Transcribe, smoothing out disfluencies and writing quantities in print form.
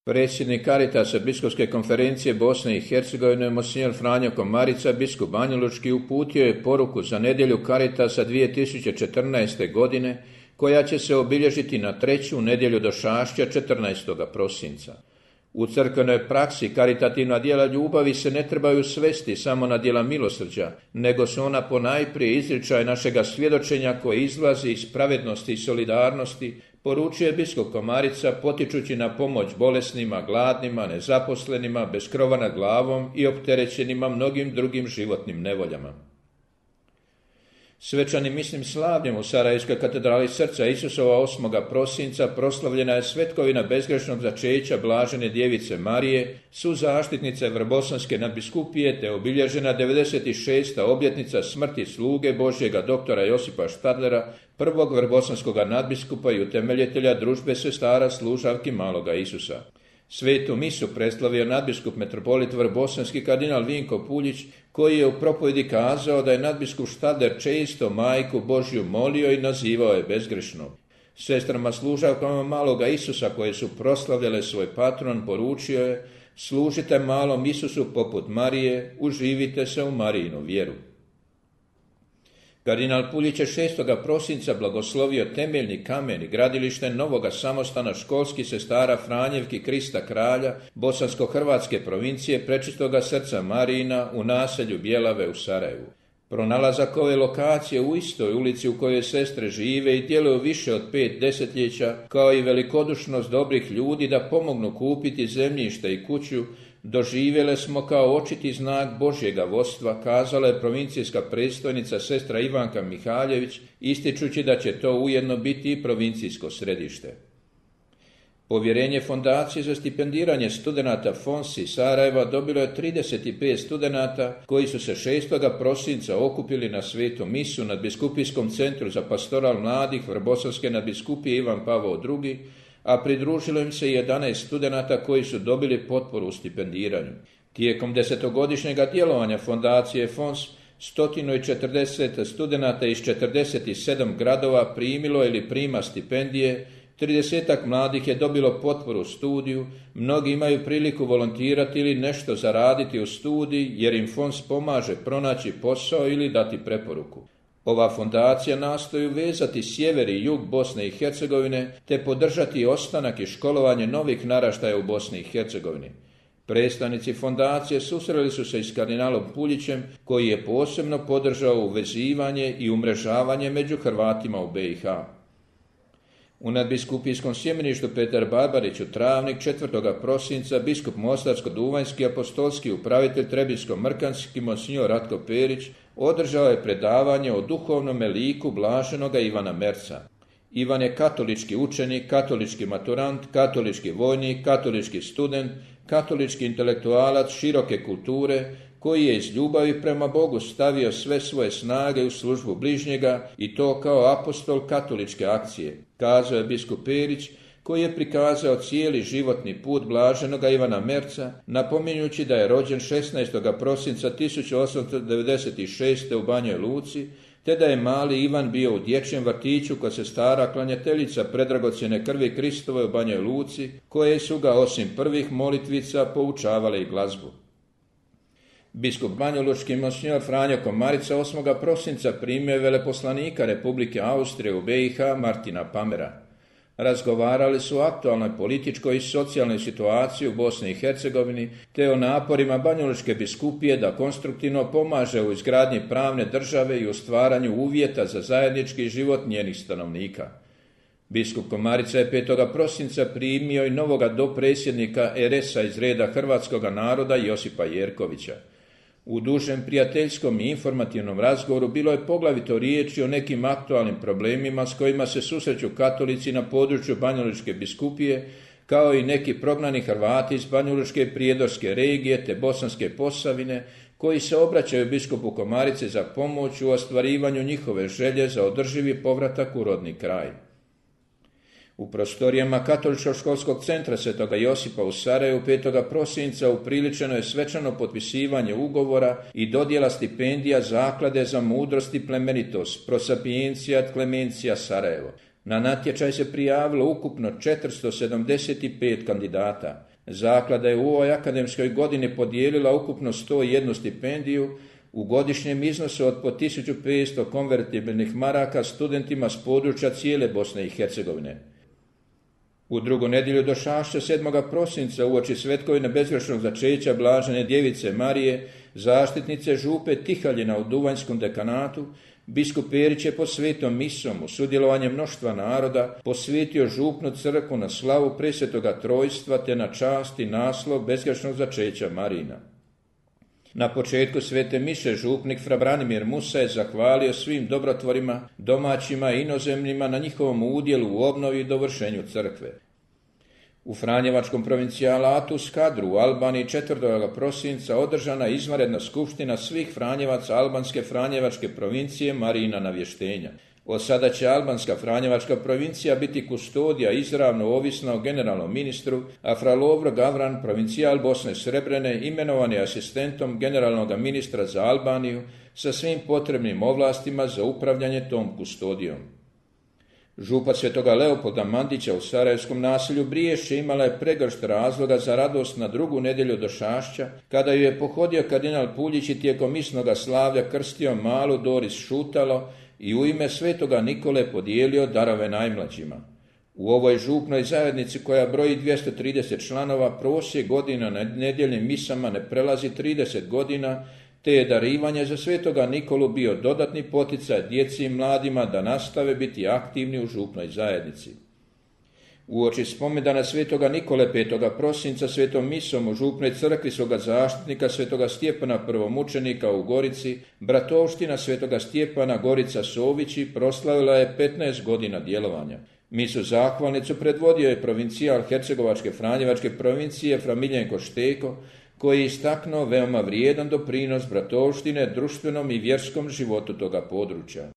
Predsjednik Caritasa Biskupske konferencije Bosne i Hercegovine, monsignor Franjo Komarica, biskup Banjalučki, uputio je poruku za nedjelju Caritasa 2014. godine, koja će se obilježiti na 3. nedjelju došašća 14. prosinca. U crkvenoj praksi karitativna djela ljubavi se ne trebaju svesti samo na djela milosrđa, nego su ona ponajprije izričaj našega svjedočenja koje izlazi iz pravednosti i solidarnosti, poručuje biskup Komarica, potičući na pomoć bolesnima, gladnima, nezaposlenima, bez krova nad glavom i opterećenima mnogim drugim životnim nevoljama. Svečanim misnim slavljem u Sarajevskoj katedrali Srca Isusova 8. prosinca proslavljena je svetkovina bezgrešnog začeća blažene djevice Marije, suzaštitnice Vrbosanske nadbiskupije, te obilježena 96. obljetnica smrti sluge Božjega doktora Josipa Štadlera, prvog vrbosanskog nadbiskupa i utemeljitelja družbe sestara služavki maloga Isusa. Svetu misu predstavio nadbiskup metropolit vrbosanski kardinal Vinko Puljić, koji je u propovjedi kazao da je nadbiskup Štadler često majku Božju molio i nazivao je bezgrešnom. Sestrama služavkama maloga Isusa, koje su proslavljale svoj patron, poručio je: služite malom Isusu poput Marije, uživite se u Marijinu vjeru. Kardinal Puljić je 6. prosinca blagoslovio temeljni kamen i gradilište novoga samostana školskih sestara Franjevki Krista Kralja bosansko-hrvatske provincije Prečistoga srca Marijina u naselju Bjelave u Sarajevu. Pronalazak ove lokacije u istoj ulici u kojoj sestre žive i djeluju više od 5 desetljeća, kao i velikodušnost dobrih ljudi da pomognu kupiti zemljište i kuću, doživjele smo kao očiti znak Božjega vodstva, kazala je provincijska predstojnica sestra Ivanka Mihaljević, ističući da će to ujedno biti i provincijsko središte. Povjerenje Fondacije za stipendiranje studenata FONSI Sarajeva dobilo je 35 studenata koji su se 6. prosinca okupili na svetu misu nad Biskupijskom centru za pastoral mladih Vrbosanske nadbiskupije Ivan Pavao II, a pridružilo im se 11 studenata koji su dobili potporu u stipendiranju. Tijekom 10-godišnjega djelovanja Fondacije FONS 140 studenata iz 47 gradova primilo ili prima stipendije, 30 mladih je dobilo potporu u studiju, mnogi imaju priliku volontirati ili nešto zaraditi u studiji jer im FONS pomaže pronaći posao ili dati preporuku. Ova fondacija nastoji vezati sjever i jug Bosne i Hercegovine te podržati ostanak i školovanje novih naraštaja u Bosni i Hercegovini. Predstavnici fondacije susreli su se i s kardinalom Puljićem, koji je posebno podržao uvezivanje i umrežavanje među Hrvatima u BiH. U nadbiskupijskom sjemeništu Petar Barbarić u Travnik 4. prosinca biskup Mostarsko-duvanjski apostolski upravitelj Trebinsko-mrkanski monsignor Ratko Perić održao je predavanje o duhovnom liku blaženoga Ivana Merca. Ivan je katolički učenik, katolički maturant, katolički vojnik, katolički student, katolički intelektualac široke kulture, koji je iz ljubavi prema Bogu stavio sve svoje snage u službu bližnjega i to kao apostol katoličke akcije, kazao je biskup Perić, koji je prikazao cijeli životni put blaženoga Ivana Merca, napominjući da je rođen 16. prosinca 1896. u Banjoj Luci, te da je mali Ivan bio u dječjem vrtiću kod sestara klanjateljica predragocjene krvi Kristove u Banjoj Luci, koje su ga osim prvih molitvica poučavale i glazbu. Biskup banjalučki monsignor Franjo Komarica 8. prosinca primio je veleposlanika Republike Austrije u BiH Martina Pamera. Razgovarali su o aktualnoj političkoj i socijalnoj situaciji u Bosni i Hercegovini te o naporima banjalučke biskupije da konstruktivno pomaže u izgradnji pravne države i u stvaranju uvjeta za zajednički život njenih stanovnika. Biskup Komarica je 5. prosinca primio i novoga dopredsjednika RS-a iz reda hrvatskoga naroda Josipa Jerkovića. U dužem prijateljskom i informativnom razgovoru bilo je poglavito riječi o nekim aktualnim problemima s kojima se susreću katolici na području Banjalučke biskupije, kao i neki prognani Hrvati iz Banjalučke prijedorske regije te Bosanske Posavine, koji se obraćaju biskupu Komarici za pomoć u ostvarivanju njihove želje za održivi povratak u rodni kraj. U prostorijama Katoličkog školskog centra Svetoga Josipa u Sarajevu 5. prosinca upriličeno je svečano potpisivanje ugovora i dodjela stipendija Zaklade za mudrost i plemenitost Pro Sapientia et Clementia Sarajevo. Na natječaj se prijavilo ukupno 475 kandidata. Zaklada je u ovoj akademskoj godini podijelila ukupno 101 stipendiju u godišnjem iznosu od po 1500 konvertibilnih maraka studentima s područja cijele Bosne i Hercegovine. U drugu nedjelju došašća 7. prosinca uoči svetkovine bezgrešnog začeća Blažene djevice Marije, zaštitnice župe Tihaljina u Duvanjskom dekanatu, biskup Perić je pod svetom misom u sudjelovanje mnoštva naroda posvetio župnu crkvu na slavu Presvetoga Trojstva te na čast i naslov bezgrešnog začeća Marina. Na početku svete mise župnik fra Branimir Musa je zahvalio svim dobrotvorima, domaćima i inozemnima na njihovom udjelu u obnovi i dovršenju crkve. U Franjevačkom provincijalatu Skadru u Albaniji 4. prosinca održana izvanredna skupština svih Franjevaca Albanske Franjevačke provincije Marijina navještenja. Od sada će Albanska Franjevačka provincija biti kustodija izravno ovisna o generalnom ministru, a fra Lovro Gavran, provincijal Bosne Srebrene, imenovan je asistentom generalnog ministra za Albaniju sa svim potrebnim ovlastima za upravljanje tom kustodijom. Župa Svetoga Leopolda Mandića u Sarajevskom naselju Briješće imala je pregršt razloga za radost na drugu nedjelju došašća, kada ju je pohodio kardinal Puljić i tijekom misnoga slavlja krstio malu Doris Šutalo i u ime Svetoga Nikole podijelio darove najmlađima. U ovoj župnoj zajednici koja broji 230 članova prosjek godina na nedjeljnim misama ne prelazi 30 godina, te je darivanje za Svetoga Nikolu bio dodatni poticaj djeci i mladima da nastave biti aktivni u župnoj zajednici. Uoči spomendana Svetoga Nikole 5. prosinca svetom misom u župnoj crkvi svoga zaštitnika Svetoga Stjepana prvomučenika u Gorici, bratovština Svetoga Stjepana Gorica Sovići proslavila je 15 godina djelovanja. Misu zahvalnicu predvodio je provincijal Hercegovačke Franjevačke provincije fra Miljenko Šteko, koji je istaknuo veoma vrijedan doprinos bratovštine društvenom i vjerskom životu toga područja.